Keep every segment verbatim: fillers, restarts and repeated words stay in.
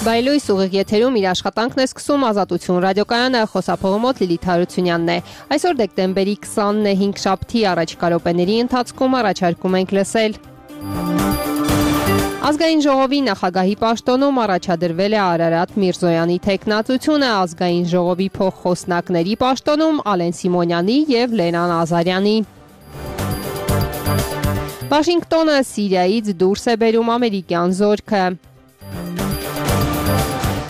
Բայլույս ուղիղ եթերում իր աշխատանքն է սկսում Ազատություն ռադիոկայանը, խոսափողը մոտ Լիլիթ Հարությունյանն է։ Այսօր դեկտեմբերի քսանն է, հինգշաբթի առաջիկա րոպեների ընթացքում առաջարկում ենք լսել։ Ազգային ժողովի նախագահի պաշտոնում առաջադրվել է Արարատ Միրզոյանի թեկնածությունը, ազգային ժողովի փոխխոսնակների պաշտոնում Ալեն Սիմոնյանի եւ Լենա Նազարյանի։ Վաշինգտոնը Սիրիայից դուրս է բերում ամերիկյան զորքը։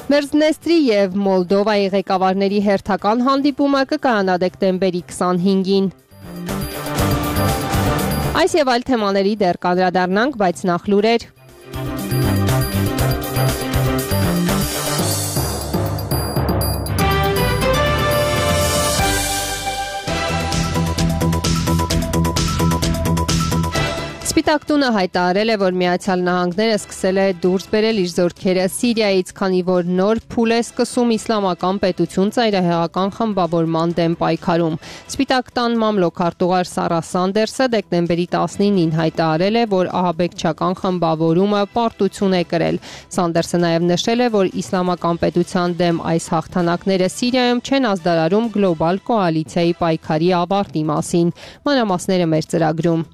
Մերձնեստրի և Մոլդովայի ղեկավարների հերթական հանդիպումը կկայանա դեկտեմբերի քսանհինգին։ Այս և այլ թեմաների դեռ կանդրադառնանք, բայց նախ լուրեր։ Սպիտակ տունը հայտարարել է, որ Միացյալ Նահանգները սկսել է դուրս բերել իր զորքերը Սիրիայից, քանի որ նոր փուլ է սկսում իսլամական պետություն ծայրահեղական խմբավորման դեմ պայքարում։ Սպիտակ տան մամլոքարտուղար Սարա Սանդերսը դեկտեմբերի տասնինին հայտարարել է, որ ահաբեկչական խմբավորումը պարտություն է կրել։ Սանդերսը նաև նշել է, որ իսլամական պետության դեմ այս հաղթանակները Սիրիայում չեն ազդարարում գլոբալ կոալիցիայի պայքարի ավարտի մասին։ Մանրամասները մեր ծրագրում։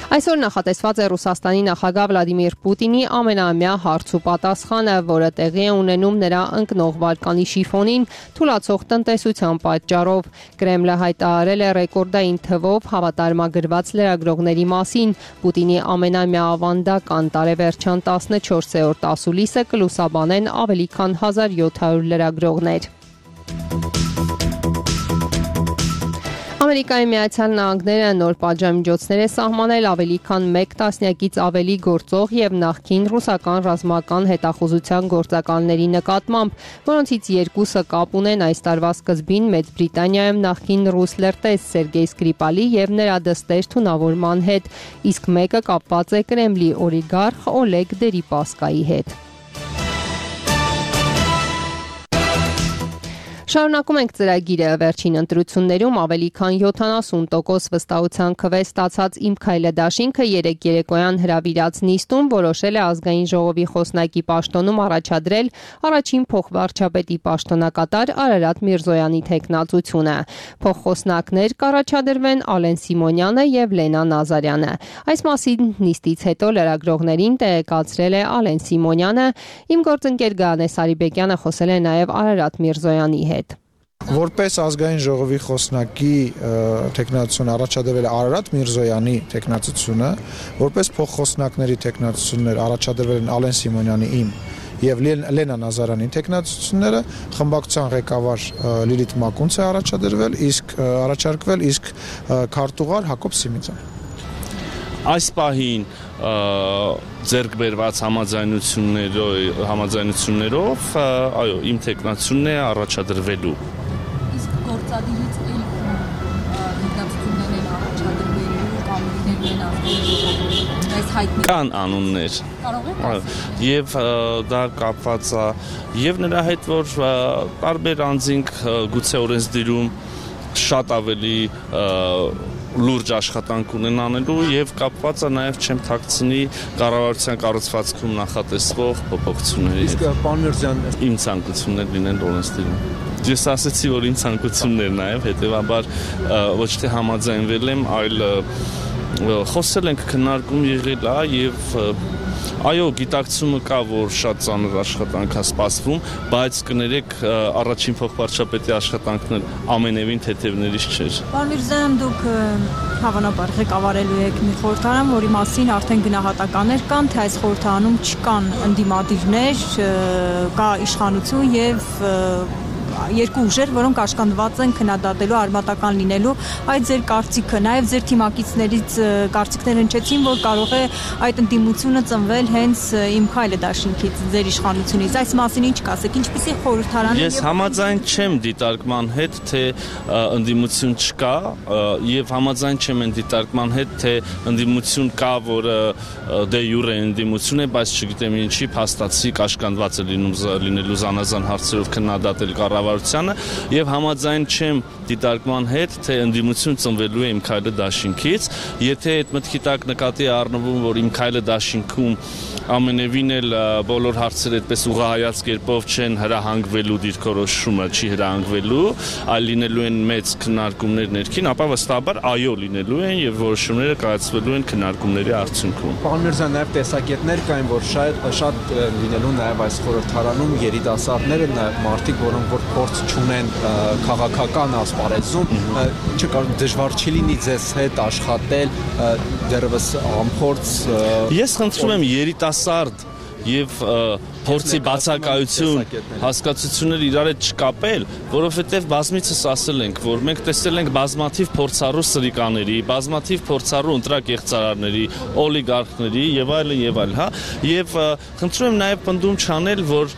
Այսօր նախատեսված է Ռուսաստանի նախագահ Վլադիմիր Պուտինի ամենաամյա հարց ու պատասխանը, որը տեղի է ունենում նրա ընկնող վարկանի շիֆոնին թուլացող տնտեսության պատճառով։ Կրեմլը հայտարարել է ռեկորդային թվով հավատարմագրված լրագրողների մասին։ Պուտինի ամենամյա ավանդական տարեվերջյան տասնչորսերորդ ասուլիսը կլուսաբանեն ավելի քան հազար յոթ հարյուր լրագրողներ։ Ամերիկայի Միացյալ Նահանգները նոր պատժամիջոցներ է սահմանել ավելի քան մեկ տասնյակից ավելի գործող եւ նախկին ռուսական ռազմական հետախուզության գործակալների նկատմամբ, որոնցից երկուսը կապ ունեն այս տարվա սկզբին Մեծ Բրիտանիայում նախկին ռուս լրտես Սերգեյ Սկրիպալի եւ նրա դստեր թունավորման հետ, իսկ մեկը կապված է Կրեմլի օլիգարխ Օլեգ Դերիպասկայի հետ։ Շարունակում ենք ծրագիրը։ Վերջին ընտրություններում ավելի քան յոթանասուն տոկոս վստահության քվե ստացած Իմ քայլը դաշինքը երեկ երեկոյան հրավիրած նիստում որոշել է ազգային ժողովի խոսնակի պաշտոնում առաջադրել առաջին փոխվարչապետի պաշտոնակատար Արարատ Միրզոյանի թեկնածությունը։ Փոխխոսնակներ կառաջադրվեն Ալեն Սիմոնյանը եւ Լենա Նազարյանը։ Այս մասին նիստից հետո լրագրողներին տեղեկացրել է Ալեն Սիմոնյանը։ Իմ գործընկեր Գայանե Սարիբեկյանը խոսել է նաեւ Արարատ Միրզոյանի հետ։ Որպես ազգային ժողովի խոսնակի թեկնածություն առաջադրվել է Արարատ Միրզոյանի թեկնածությունը, որպես փոխխոսնակների թեկնածություններ առաջադրվել են Ալեն Սիմոնյանի իմ եւ Լենա Նազարյանի թեկնածությունները, խմբակցության ղեկավար Լիլիթ Մակունց է առաջադրվել, իսկ առաջարկվել, իսկ քարտուղար Հակոբ Սիմիցյան։ Այս պահին ձեռք բերված համաձայնություններով, համաձայնություններով, այո, իմ թեկնածությունն է առաջադրվելու։ Իսկ գործադիրից այլ թեկնածություններ են առաջադրվելու կամ լինելու են ազգային այս հայտնի կան անուններ։ Կարող եք Եվ դա կապված է եւ նրա հետ, որ տարբեր անձինք գուցե օրենսդիրում շատ ավելի լուրջ աշխատանք ունեն անելու եւ կապված է նաեւ չեմ թաքցնի կառավարության կառուցվածքում նախատեսվող փոփոխությունների հետ։ Իսկ պարոն Միրզոյան, իմ ցանկություններ լինեն օրենսդիրում։ Ես ասացի, որ իմ ցանկություններ նաեւ հետեւաբար ոչ թե համաձայնվել եմ, այլ խոսել ենք, քննարկում եղել է եւ այո, գիտակցումը կա, որ շատ ծանր աշխատանք է սպասվում, բայց կներեք առաջին փոխվարչապետի աշխատանքն ամենևին թեթևներից չէր։ Պարոն Միրզոյան, դուք հավանաբար ղեկավարելու եք մի խորհրդարան, որի մասին արդեն գնահատականներ կան, թե այս խորհրդարանում չկան ընդդիմադիրներ, կա իշխանություն եւ երկու ուժեր, որոնք աշխատված են քննադատելու արմատական լինելու, այդ ձեր կարծիքը, նաև ձեր թիմակիցներից կարծիքներ հնչեցին, որ կարող է այդ ընդդիմությունը ծնվել հենց Իմ քայլը դաշինքից, ձեր իշխանությունից։ Այս մասին ինչ կասեք, ինչպիսի խորհրդարան։ Ես համաձայն չեմ դիտարկման հետ, թե ընդդիմություն չկա, եւ համաձայն չեմ այն դիտարկման հետ, թե ընդդիմություն կա, որը դե յուրե ընդդիմություն է, բայց չգիտեմ ինչի փաստացի կաշկանդված է լինում լինելու զանազան հարցերով քննադատել կառավարությունը ժողովրդավարությանը եւ համաձայն չեմ դիտարկման հետ, թե ընդդիմություն ծնվելու է իմ քայլը դաշինքից, եթե այդ մտքի տակ նկատի առնվում, որ իմ քայլը դաշինքում ամենևին էլ բոլոր հարցերը այդպես ուղղահայաց կերպով չեն հրահանգվելու դիրքորոշումը չի հրահանգվելու, այլ լինելու են մեծ քննարկումներ ներքին, ապա վստահաբար այո լինելու են եւ որոշումները կայացվելու են քննարկումների արդյունքում։ Պարոն Միրզոյան, նաեւ տեսակետներ կային, որ շատ շատ լինելու նաեւ այս խորհրդարանում երիտասարդները, նաեւ մարդիկ, որոնք որ փորձ չունեն քաղաքական ասպարեզում, չկար դժվար չի լինի ձեզ հետ աշխատել դեռևս անփորձ։ Ես խնդրում եմ երիտասարդ եւ փորձի բացակայություն հասկացություններ իրար հետ չկապել, որովհետեւ բազմիցս ասել ենք, որ մենք տեսել ենք բազմաթիվ փորձառու սրիկաների, բազմաթիվ փորձառու ընտրակ եղծարարների, օլիգարխների եւ այլն եւ այլն, հա, եւ խնդրում եմ նաեւ պնդում չանել, որ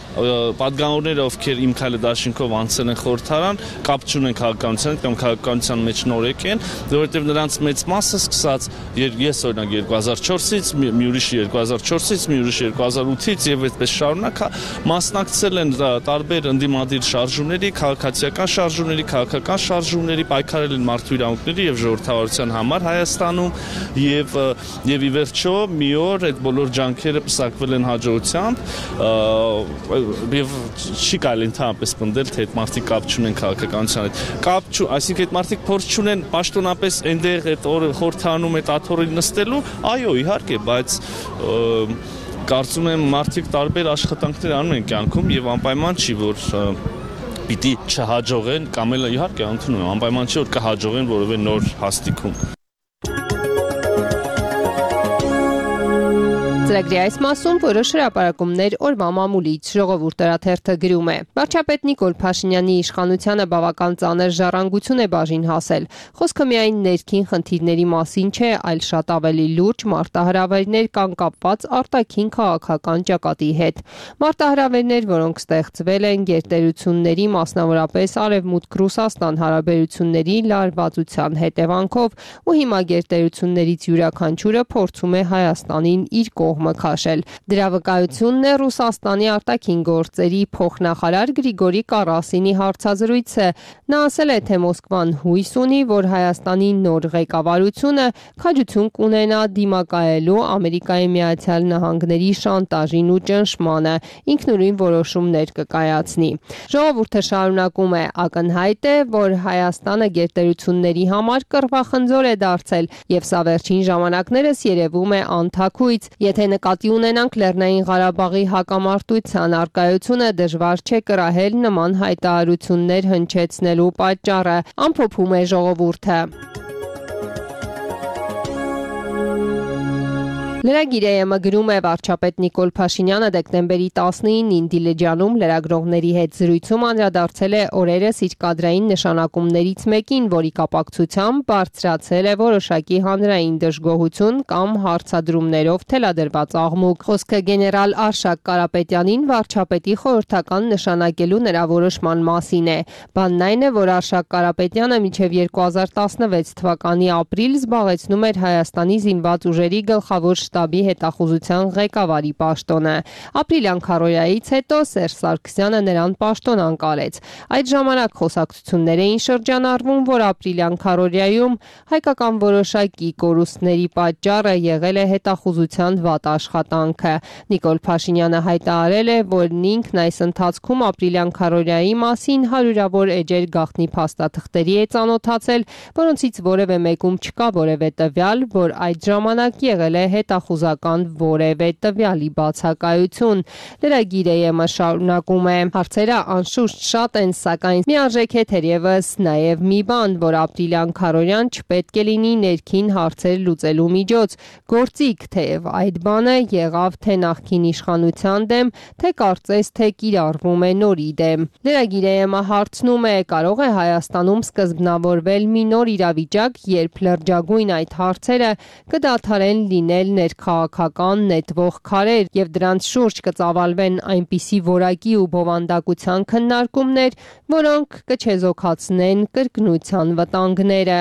պատգամավորները, ովքեր իմ քայլը դաշինքով անցել են խորհրդարան, կապ չունեն քաղաքականության կամ քաղաքականության մեջ նորեկ են, որովհետեւ նրանց մեծ մասը սկսած ես օրինակ երկու հազար չորսից, մի ուրիշը երկու հազար չորսից, մի ուրիշը երկու հազար ութից եւ այդպես շարունակ մասնակցել են տարբեր ընդդիմադիր շարժումների, քաղաքացիական շարժումների, քաղաքական շարժումների, պայքարել են մարդու իրավունքների եւ ժողովրդավարության համար Հայաստանում եւ եւ ի վերջո մի օր այդ բոլոր ջանքերը պսակվել են հաջողությամբ եւ չի կարելի ընդհանրապես պնդել, թե այդ մարդիկ կապ չունեն քաղաքականության հետ։ Կապ չու, այսինքն այդ մարդիկ փորձ չունեն պաշտոնապես այնտեղ այդ խորհրդանում այդ աթոռին նստելու, այո, իհարկե, բայց կարծում եմ մարդիկ տարբեր աշխատանքներ անում են կյանքում եւ անպայման չի որ պիտի չհաջողեն կամ էլ իհարկե ընդունում եմ անպայման չի որ կհաջողեն որևէ նոր հաստիքում։ Ծրագրի այս մասում որոշ հրապարակումներ օրվա մամուլից ժողովուրդ օրաթերթը գրում է. Վարչապետ Նիկոլ Փաշինյանի իշխանությանը բավական ծանր ժառանգություն է բաժին հասել։ Խոսքը միայն ներքին խնդիրների մասին չէ, այլ շատ ավելի լուրջ մարտահրավերներ կան կապված արտաքին քաղաքական ճակատի հետ։ Մարտահրավերներ, որոնք ստեղծվել են գերտերությունների, մասնավորապես Արևմուտք Ռուսաստան հարաբերությունների լարվածության հետևանքով, ու հիմա գերտերություններից յուրաքանչյուրը փորձում է Հայաստանին իր կողմը քաշել։ Դրա վկայությունն է Ռուսաստանի արտաքին գործերի փոխնախարար Գրիգորի Կարասինի հարցազրույցը։ Նա ասել է, թե Մոսկվան հույս ունի, որ Հայաստանի նոր ղեկավարությունը քաջություն կունենա դիմակայելու Ամերիկայի Միացյալ Նահանգների շանտաժին ու ճնշմանը, ինքնուրույն որոշումներ կկայացնի։ Ժողովուրդը շարունակում է. ակնհայտ է, որ Հայաստանը գերտերությունների համար կռվախնձոր է դարձել, եւ սա վերջին ժամանակներս երևում է անթաքույց։ Եթե նկատի ունենանք Լեռնային Ղարաբաղի հակամարտության առկայությունը, դժվար չէ կրահել նման հայտարարություններ հնչեցնելու պատճառը, ամփոփում է ժողովուրդը։ Լրագիրը գրում է վարչապետ Նիկոլ Փաշինյանը դեկտեմբերի տասնինին Դիլիջանում լրագրողների հետ զրույցում անդրադարձել է օրերս իր կադրային նշանակումներից մեկին, որի կապակցությամբ բարձրացել է որոշակի հանրային դժգոհություն կամ հարցադրումներով թելադրված աղմուկ։ Խոսքը գեներալ Արշակ Կարապետյանին վարչապետի խորհրդական նշանակելու նրա որոշման մասին է։ Բանն այն է, որ Արշակ Կարապետյանը մինչև երկու հազար տասնվեց թվականի ապրիլ զբաղեցնում էր Հայաստանի զինված ուժերի գլխավոր շտաբի հետախուզության ղեկավարի պաշտոնը։ Ապրիլյան քարոզայից հետո Սերժ Սարգսյանը նրան պաշտոն անկարեց։ Այդ ժամանակ խոսակցություններ էին շրջանառվում, որ ապրիլյան քարոզայում հայկական որոշակի կորուստների պատճառը եղել է հետախուզության վատ աշխատանքը։ Նիկոլ Փաշինյանը հայտարարել է, որ ինքն այս ընթացքում ապրիլյան քարոզայի մասին հարյուրավոր էջեր գաղտնի փաստաթղթերի է ծանոթացել, որոնցից որևէ մեկում չկա որևէ տվյալ, որ այդ ժամանակ եղել է հետախուզական որևէ տվյալի բացակայություն։ Լրագիրը շարունակում է. հարցերը անշուշտ շատ են, սակայն միարժեք է թերևս նաև մի բան, որ ապրիլյան քարոզյան չպետք է լինի ներքին հարցեր լուծելու միջոց։ Գործիք, թեև այդ բանը եղավ թե նախկին իշխանության դեմ, թե կարծես թե կիրառվում է նորի դեմ։ Լրագիրը հարցնում է. կարող է Հայաստանում սկզբնավորվել մի նոր իրավիճակ, երբ լրջագույն այդ հարցերը կդադարեն լինել ներքաղաքական նետվող քարեր եւ դրանց շուրջ կծավալվեն այնպիսի որակի ու բովանդակության քննարկումներ, որոնք կչեզոքացնեն կրկնության վտանգները։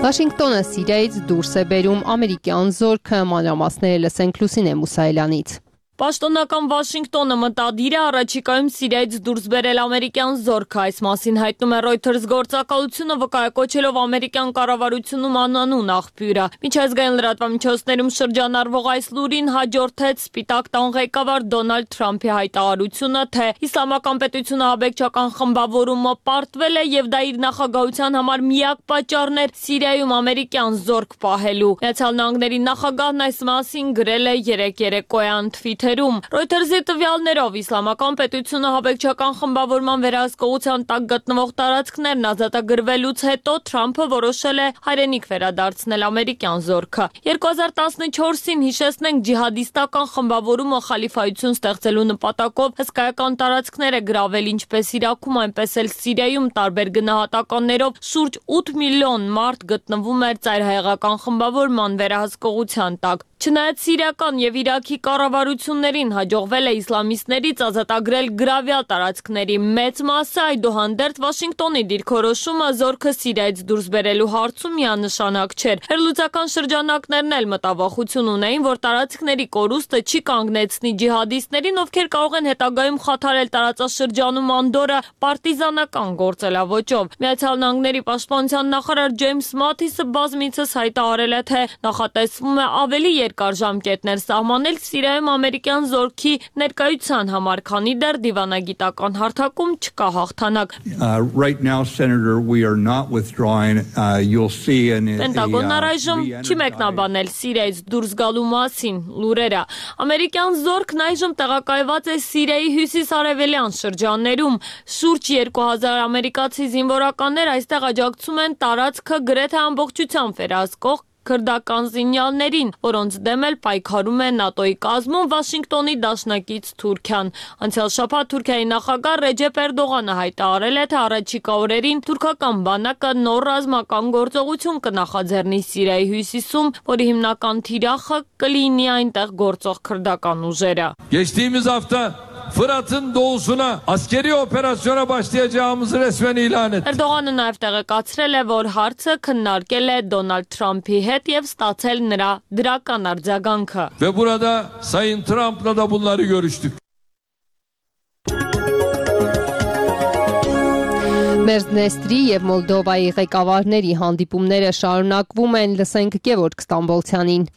Վաշինգտոնը Սիրիայից դուրս է բերում ամերիկյան զորքը, մանրամասները լսենք Լուսինե Մուսայելյանից։ Պաշտոնական Վաշինգտոնը մտադիր է առաջիկայում Սիրիայից դուրս բերել ամերիկյան զորք, այս մասին հայտնում է Reuters գործակալությունը, վկայակոչելով ամերիկյան կառավարությունում անանուն աղբյուրը։ Միջազգային լրատվամիջոցներում շրջանառվող այս լուրին հաջորդեց Սպիտակ տան ղեկավար Դոնալդ Թրամփի հայտարարությունը, թե իսլամական պետությունը աբեկչական խմբավորումը պարտվել է եւ դա իր նախագահության համար միակ պատճառն էր Սիրիայում ամերիկյան զորք պահելու։ Միացյալ Նահանգների նախագահն այս մասին գրել է երեկ երեկոյան թվիթերում։ Reuters-ի տվյալներով իսլամական պետությունը աբեկչական խմբավորման վերահսկողության տակ գտնվող տարածքներն ազատագրվելուց հետո Թրամփը որոշել է հայրենիք վերադարձնել ամերիկյան զորքը։ երկու հազար տասնչորսին հիշեցնենք ջիհադիստական խմբավորումը խալիֆայություն ստեղծելու նպատակով հսկայական տարածքներ է գրավել ինչպես Իրաքում, այնպես էլ Սիրիայում տարբեր գնահատականներով շուրջ ութ միլիոն մարդ գտնվում էր ծայրահեղական խմբավորման վերահսկողության տակ։ Չնայած սիրիական եւ Իրաքի կառավարություններին հաջողվել է իսլամիստներից ազատագրել գրավյալ տարածքների մեծ մասը, այդուհանդերձ Վաշինգտոնի դիրքորոշումը զորքը Սիրիայից դուրս բերելու հարցում միանշանակ չէր։ Հերլուծական շրջանակներն էլ մտավախություն ունեին, որ տարածքների կորուստը չի կանգնեցնի ջիհադիստներին, ովքեր կարող են հետագայում խաթարել տարածաշրջանում անդորը պարտիզանական գործելավոճով։ Միացյալ Նահանգների պաշտպանության նախարար Ջեյմս Մաթիսը բազմիցս հայտարարել է, թե նախատեսվում է ավելի երկար ժամկետներ սահմանել Սիրիայում ամերիկյան զորքի ներկայության համար, քանի դեռ դիվանագիտական հարթակում չկա հաղթանակ։ Պենտագոնն առայժմ չի մեկնաբանել Սիրիայից դուրս գալու մասին լուրերը։ Ամերիկյան զորքն այժմ տեղակայված է Սիրիայի հյուսիս-արևելյան շրջաններում։ Շուրջ երկու հազար ամերիկացի զինվորականներ այստեղ աջակցում են տարածքը գրեթե ամբողջությամբ վերահսկող քրդական զինյալներին, որոնց դեմ էլ պայքարում է ՆԱՏՕ-ի կազմում Վաշինգտոնի դաշնակից Թուրքիան։ Անցյալ շաբաթ Թուրքիայի նախագահ Ռեջեփ Էրդողանը հայտարարել է, թե առաջիկա օրերին թուրքական բանակը նոր ռազմական գործողություն կնախաձեռնի Սիրիայի հյուսիսում, որի հիմնական թիրախը կլինի այնտեղ գործող քրդական ուժերը։ Geçtiğimiz hafta Fırat'ın doğusuna askeri operasyona başlayacağımızı resmen ilan etti. Էրդողանը նաև տեղեկացրել է, որ հարցը քննարկել է Դոնալդ Թրամփի հետ եւ ստացել նրա դրական արձագանքը։ Ve burada Sayın Trump'la da bunları görüştük. Մերձնեստրի եւ Մոլդովայի ղեկավարների հանդիպումները շարունակվում են, լսենք Գևորգ Ստամբոլցյանին։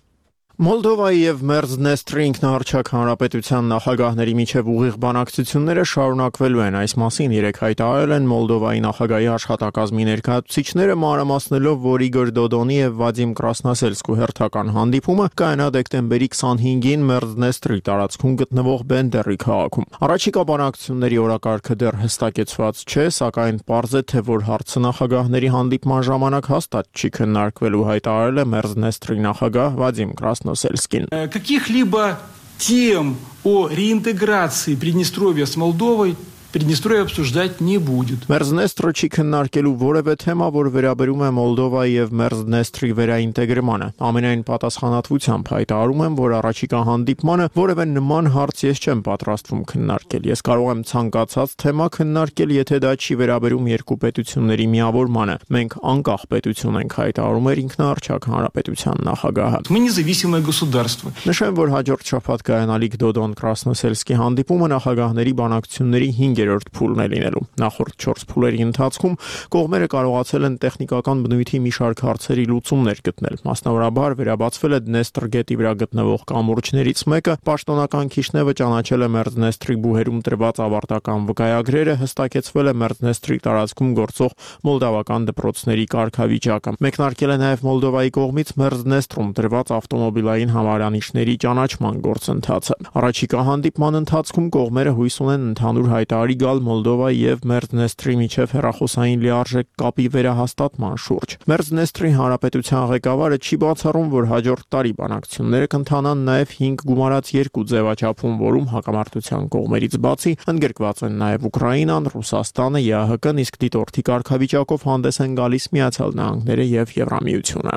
Մոլդովայի եւ Մերձնեստրի ինքնահռչակ հանրապետության նախագահների միջև ուղիղ բանակցությունները շարունակվելու են, այս մասին երեկ հայտարարել են Մոլդովայի նախագահի աշխատակազմի ներկայացուցիչները, մանրամասնելով, որ Իգոր Դոդոնի եւ Վադիմ Կրասնասելսկու հերթական հանդիպումը կայանա դեկտեմբերի քսանհինգին Մերձնեստրի տարածքում գտնվող Բենդերի քաղաքում։ Առաջիկա բանակցությունների օրակարգը դեռ հստակեցված չէ, сакայն պարզ է, թե որ հարցը նախագահների հանդիպման ժամանակ հաստատ չի քննարկվելու, հայտարարել է Մերձնեստրի նախագահ Վադիմ Կրասնասելսկու. Каких-либо тем о реинтеграции Приднестровья с Молдовой Приднестровье обсуждать не будет. Մերձնեստրը չի քննարկելու որևէ թեմա, որ վերաբերում է Մոլդովայի եւ Մերձնեստրի վերաինտեգրմանը։ Ամենայն պատասխանատվությամբ հայտարարում եմ, որ առաջիկա հանդիպմանը որևէ նման հարց ես չեմ պատրաստվում քննարկել։ Ես կարող եմ ցանկացած թեմա քննարկել, եթե դա չի վերաբերում երկու պետությունների միավորմանը։ Մենք անկախ պետություն ենք, հայտարարում էր ինքնահռչակ հանրապետության նախագահը։ Мы независимое государство. Նշեմ, որ հաջորդ շաբաթ կայանալիք Դոդոն Կրասնոսելսկի հանդիպումը նախագահների բանակցությունների հինգերորդ փուլն է լինելու։ Նախորդ չորս փուլերի ընթացքում կողմերը կարողացել են տեխնիկական բնույթի մի շարք հարցերի լուծումներ գտնել։ Մասնավորաբար վերաբացվել է Դնեստր գետի վրա գտնվող կամուրջներից մեկը, պաշտոնական Քիշնևը ճանաչել է Մերձնեստրի բուհերում տրված ավարտական վկայագրերը, հստակեցվել է Մերձնեստրի տարածքում գործող մոլդավական դպրոցների կարգավիճակը։ Մեկնարկել է նաև Մոլդովայի կողմից Մերձնեստրում տրված ավտոմոբիլային համարանիշների ճանաչման գործընթացը։ Առաջիկա հանդիպման ընթացքում կողմերը հույս ունեն ընդհանուր հայտարարի գալ Մոլդովայի եւ Մերձնեստրի միջև հեռախոսային լիարժեք կապի վերահաստատման շուրջ։ Մերձնեստրի հանրապետության ղեկավարը չի բացառում, որ հաջորդ տարի բանակցությունները կընթանան նաև հինգ գումարած երկու ձևաչափում, որում հակամարտության կողմերից բացի ընդգրկված են նաև Ուկրաինան, Ռուսաստանը, ԵԱՀԿ-ն, իսկ դիտորդի կարգավիճակով հանդես են գալիս Միացյալ Նահանգները եւ Եվրամիությունը։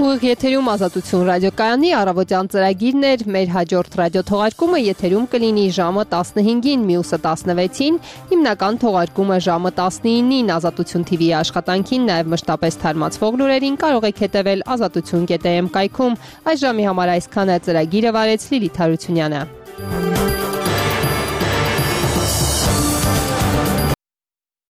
Ուղիղ եթերում Ազատություն ռադիոկայանի առավոտյան ծրագիրն էր, մեր հաջորդ ռադիոթողարկումը եթերում կլինի ժամը տասնհինգին, մյուսը տասնվեցին, հիմնական թողարկումը ժամը տասնինին Ազատություն թիվի աշխատանքին, նաև մշտապես թարմացվող լուրերին կարող եք հետևել ազատություն կետ am կայքում։ Այս ժամի համար այսքանը, ծրագիրը վարեց Լիլիթ Հարությունյանը։